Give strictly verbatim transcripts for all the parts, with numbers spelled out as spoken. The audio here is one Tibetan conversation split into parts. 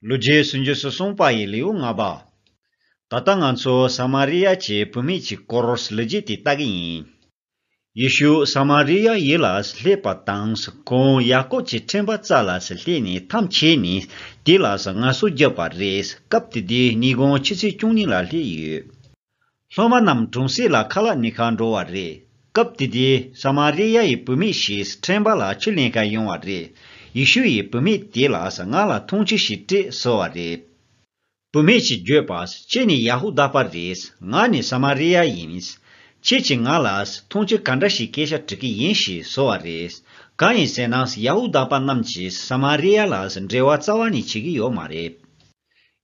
ལོ་རྒྱུས་སུམ་ཅུ་སོ་གསུམ་པ་ཡི་ལེའུ་ལྔ་པ། ད་ལྟ་ང་ཚོ་ས་མ་རི་ཡ་གྱི་བུད་མེད་ཀྱི་སྐོར་ལོ་རྒྱུས་དེ་ལྟ་གི་ཡིན། ཡེ་ཤུ་ས་མ་རི་ཡ་ཡུལ་ལ་སླེབས་པ་དང་ཁོང་ཡ་ཀོབ་ཀྱི་ཕྲེང་བ་རྩ་ལ་སླེབས་ནས་འཐམ་ཆད་ནས་དེ་ལ་ངལ་གསོ་བརྒྱབ་པ་རེད། སྐབས་དེ་དུས་ཉིན་གུང་ཆུ་ཚོད་བཅུ་གཉིས་ལ་སླེབས་ཡོད། སློབ་མ་རྣམས་གྲོང་གསེབ་ལ་ཁ་ལག་ཉོ་གར་འགྲོ་བ་རེད། སྐབས་དེ་དུས་ས་མ་རི་ཡ་ཡི་བུད་མེད་ཞིག་ཕྲེང་བ་ལ་ཆུ་ལེན་གར་ཡོང་བ་རེད། ཡེ་ཤུ་ཡིས་བུད་མེད་དེ་ལ་ང་ལ་འཐུང་ཆུ་ཞིག་སྤྲད་ཟེར་བ་རེད། བུད་མེད་ཀྱིས་བརྗོད་པ། ཁྱེད་ནི་ཡ་ཧུ་དཱ་པ་རེད། ང་ནི་ས་མ་རི་ཡ་ཡིན། ཁྱེད་ཀྱིས་ང་ལ་འཐུང་ཆུ་ག་འདྲ་ཞིག་སྐད་ཆ་དྲི་གི་ཡིན་ཞེས་ཟེར་བ་རེད། གང་ཡིན་ཟེར་ན་ཡ་ཧུ་དཱ་པ་རྣམས་ཀྱིས་ས་མ་རི་ཡ་ལ་འབྲེལ་བ་རྩ་བ་ནས་བྱེད་ཀྱི་ཡོད་མ་རེད།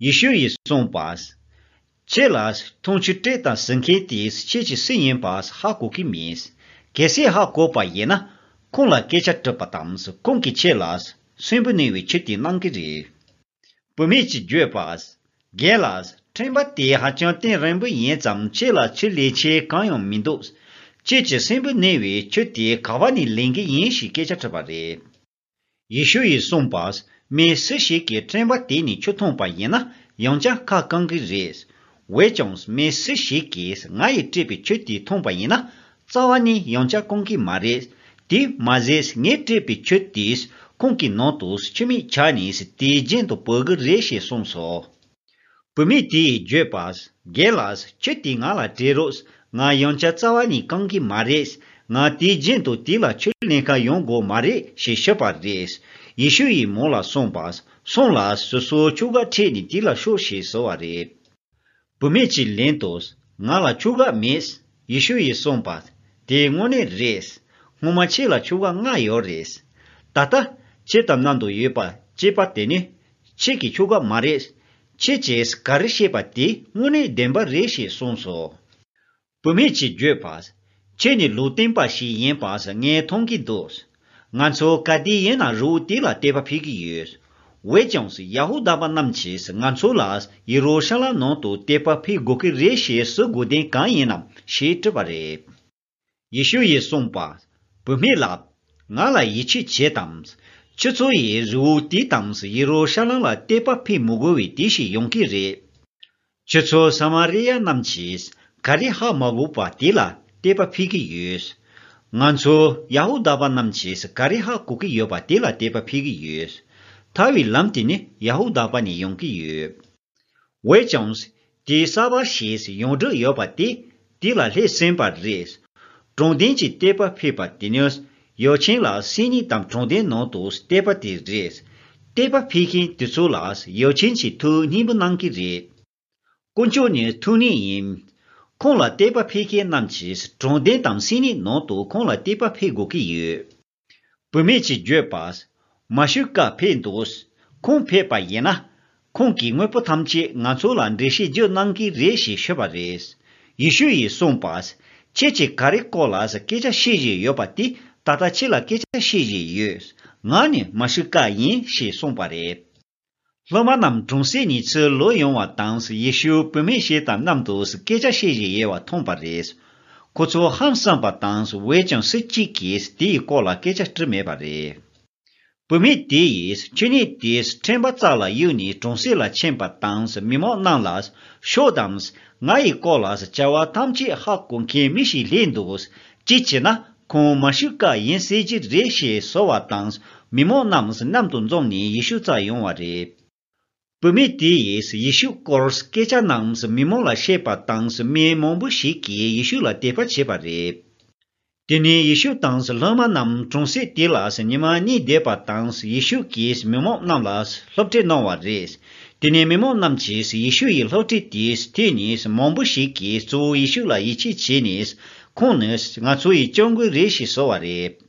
ཡེ་ཤུ་ཡིས་གསུངས་པ། ཁྱེད་ལ་འཐུང་ཆུ་སྤྲད་དང་ཟེར་མཁན་དེ་ཁྱེད་ཀྱིས་སུ་ཡིན་པ་ཧ་གོ་གི་མེད། གལ་སྲིད་ཧ་གོ་བ་ཡིན་ན་ཁོང་ལ་སྐད་ཆ་དྲིས་པ་དང་ཁོང་གིས་ཁྱེད་ལ་སྲིན་བུ་གནས་པའི་ཆུ་དེ་གནང་གི་རེད། བུད་མེད་ཀྱིས་བརྗོད་པ། རྒན་ལགས། ཕྲེང་བ་དེ་ཧ་ཅང་གཏིང་རིང་པོ་ཡིན་ཙང་ཁྱེད་ལ་ཆུ་ལེན་ཆེད་གང་ཡང་མི་འདུག་ཁྱེད་ཀྱིས་སྲིན་བུ་གནས་པའི་ཆུ་དེ་ག་བ་ནས་ལེན་གི་ཡིན་ཞེས་སྐད་ཆ་དྲིས་པ་རེད། ཡེ་ཤུ་ཡིས་གསུངས་པ། མི་སུ་ཞིག་གིས་ཕྲེང་བ་དེ་ནས་ཆུ་འཐུང་པ་ཡིན་ན་ཡང་བསྐྱར་ཁ་བསྐང་གི་རེད། འོན་ཀྱང་མི་སུ་ཞིག་གིས་ང་ཡིས་སྤྲད་པའི་ཆུ་དེ་འཐུང་པ་ཡིན་ན་རྩ་བ་ནས་ཡང་བསྐྱར་བསྐང་གི་མ་རེད། དེ་མ་ཟད་ངས་སྤྲད་པའི་ཆུ་དེས་ཁོང་གི་ནང་དུ་ཆུ་མིག་ཆགས་ནས་དེའི་རྒྱན་དུ་བུད་གི་རེད་ཞེས་གསུངས་སོ། བུད་མེད་དེས་བརྗོད་པ། རྒན་ལགས། ཆུ་དེ་ང་ལ་སྤྲད་རོགས། ང་ཡང་བསྐྱར་རྩ་བ་ནས་བསྐང་གི་མ་རེད། ང་དེའི་རྒྱན་དུ་དེ་ལ་ཆུ་ལེན་གར་ཡོང་དགོས་མ་རེད་ཞེས་ཤོད་པ་རེད། ཡེ་ཤུ་ཡིས་མོ་ལ་གསུངས་པ། སོང་ལ་སོ་སོའི་ཁྱོ་ག་ཁྲིད་ནས་དེ་ལ་ཤོག་ཞེས་ཟེར་བ་རེད། བུད་མེད་ཀྱིས་ལན་དུ། ང་ལ་ཁྱོ་ག་མེད། ཡེ་ཤུ་ཡིས་གསུངས་པ། དེ་དངོས་གནས་རེད། སྔོན་མ་ཁྱེད་ལ་ཁྱོ་ག་ལྔ་ཡོད་རེད། ད་ལྟ་ཁྱེད་དང་མཉམ་དུ་ཡོད་པ་གཅིག་པ་དེ་ནི་ཁྱེད་ཀྱི་ཁྱོ་ག་མ་རེད། ཁྱེད་ཀྱིས་ག་རེ་བཤད་པ་དེ་དངོས་གནས་བདེན་པ་རེད་ཞེས་གསུངས་སོ། བུད་མེད་ཀྱིས་བརྗོད་པ། ཁྱེད་ནི་ལུང་སྟོན་པ་ཞིག་ཡིན་པ་ངས་མཐོང་གི་འདུག་ང་ཚོ་ག་དུས་ཡིན་ན་རི་བོ་དེ་ལ་དད་པ་ཕུལ་གྱི་ཡོད། འོན་ཀྱང་ཡ་ཧུ་དཱ་པ་རྣམས་ཀྱིས་ང་ཚོ་ལ་ཡེ་རུ་ཤ་ལམ་ནང་དུ་དད་པ་ཕུལ་དགོས་ཀྱི་རེད་ཞེས་ཟེར་དགོས་དོན་གང་ཡིན་ནམ་ཞེས་དྲིས་པ་རེད། ཡེ་ཤུ་ཡིས་གསུངས་པ། བུད་མེད་ལགས། ང་ལ་ཡིད་ཆེས་བྱེད་དམ། ཁྱེད་ཚོ་ཡིས་རི་བོ་དེ་དང་ཡེ་རུ་ཤ་ལམ་ལ་དད་པ་ཕུལ་མི་དགོས་པའི་དུས་ཤིག་ཡོང་གི་རེད། ཁྱེད་ཚོ་ས་མ་རི་ཡ་རྣམས་ཀྱིས་ག་རེ་ཧ་མ་གོ་བ་དེ་ལ་དད་པ་ཕུལ་གྱི་ཡོད། ང་ཚོ་ཡ་ཧུ་དཱ་པ་རྣམས་ཀྱིས་ག་རེ་ཧ་གོ་གི་ཡོད་པ་དེ་ལ་དད་པ་ཕུལ་གྱི་ཡོད། ཐར་བའི་ལམ་དེ་ནི་ཡ་ཧུ་དཱ་པ་ནས་ཡོང་གི་ཡོད། འོན་ཀྱང་། དེ་གསར་པ་ཞིག་ཡོངས་གྲུབ་ཡོད་པ་དེ་དེ་ལ་སླེབས་ཟིན་པ་རེད། དྲང་བདེན་གྱི་དད་པ་ཕུལ་བ་དེ་ནི་ཡབ་ཆེན་ལ་སེམས་ཉིད་དང་དྲང་བདེན་ནང་དུ་དད་པ་དེ་རེད། དད་པ་ཕུལ་མཁན་དེ་ཚོ་ལ་ཡབ་ཆེན་གྱིས་ཐུགས་སྙིང་པོ་གནང་གི་རེད། དཀོན་མཆོག་ནི་ཐུགས་ཉིད་ཡིན། ཁོང་ལ་དད་པ་ཕུལ་མཁན་རྣམས་ཀྱིས་དྲང་བདེན་དང་སེམས་ཉིད་ནང་དུ་ཁོང་ལ་དད་པ་ཕུལ་དགོས་ཀྱི་ཡོད། བུད་མེད་ཀྱིས་བརྗོད་པ། མ་ཤི་ཀ་ཕེབས་འདུག་ཁོང་ཕེབས་པ་ཡིན་ན། ཁོང་གིས་དངོས་པོ་ཐམས་ཅད་ང་ཚོ་ལ་འགྲེལ་བཤད་རྒྱུ་གནང་གི་རེད་ཞེས་ཤོད་པ་རེད། ཡེ་ཤུ་ཡིས་གསུངས་པ། ཁྱེད་ཀྱིས་ག་རེ་སྐོར་ལ་སྐད་ཆ་བཤད་བཞིན་ཡོད་པ་དེ་ད་ལྟ་ཁྱེད་ལ་སྐད་ཆ་བཤད་བཞིན་ཡོད། ང་ནི་མ་ཤི་ཀ་ཡིན་ཞེས་གསུངས་པ་རེད། སློབ་མ་རྣམས་གྲོང་གསེབ་ནས་ཚུར་ལོག་ཡོང་བ་དང་ཡེ་ཤུ་བུད་མེད་ཞིག་དང་མཉམ་དུ་སྐད་ཆ་བཤད་བཞིན་ཡོད་པ་མཐོང་པ་རེད། ཁོ་ཚོ་ཧང་སངས་པ་དང་འོན་ཀྱང་སུ་གཅིག་གིས་དེའི་སྐོར་ལ་སྐད་ཆ་དྲིས་མེད་པ་རེད། བུད་མེད་དེ་ཡིས་ཆུ་སྣོད་དེ་ཕྲེང་བ་རྩ་ལ་གཡུགས་ནས་གྲོང་གསེབ་ལ་ཕྱིན་པ་དང་མི་མང་རྣམས་ལ་ཤོག་དང་། ང་ཡི་སྐོར་ལ་བྱ་བ་ཐམས་ཅད་ཧ་གོ་མཁན་མི་ཞིག་སླེབས་འདུག་ཅི་བྱས་ན་ཁོང་མ་ཤི་ཀ་ཡིན་ཟེར་གྱི་རེད་ཞེས་ཟེར་བ་དང་མི་མང་རྣམས་མཉམ་དུ་འཛོམས་ནས་ཡེ་ཤུ་རྩར་ཡོང་བ་རེད། བུད་མེད་དེ་ཡིས་ཡེ་ཤུ་སྐོར་སྐད་ཆ་རྣམས་མི་མང་ལ་བཤད་པ་དང་མི་མང་པོ་ཞིག་གིས་ཡེ་ཤུ་ལ་དད་པ་བྱས་པ་རེད། དེ་ནས་ཡེ་ཤུ་དང་སློབ་མ་རྣམས་གྲོང་གསེབ་དེ་ལ་ཉི་མ་གཉིས་བསྡད་པ་དང་ཡེ་ཤུ་གིས་མི་མང་རྣམས་ལ་སློབ་ཁྲིད་གནང་བ་རེད། དེ་ནས་མི་མང་རྣམས་ཀྱིས་ཡེ་ཤུ་ཡི་སློབ་ཁྲིད་དེ་ཐོས་ནས་མང་པོ་ཞིག་གིས་གཙོ་བོ་ཡེ་ཤུ་ལ་ཡིད་ཆེས་བྱས་ནས་ཁོང་ནི་ང་ཚོ་ཡི་སྐྱབས་མགོན་རེད་ཞེས་ཟེར་བ་རེད།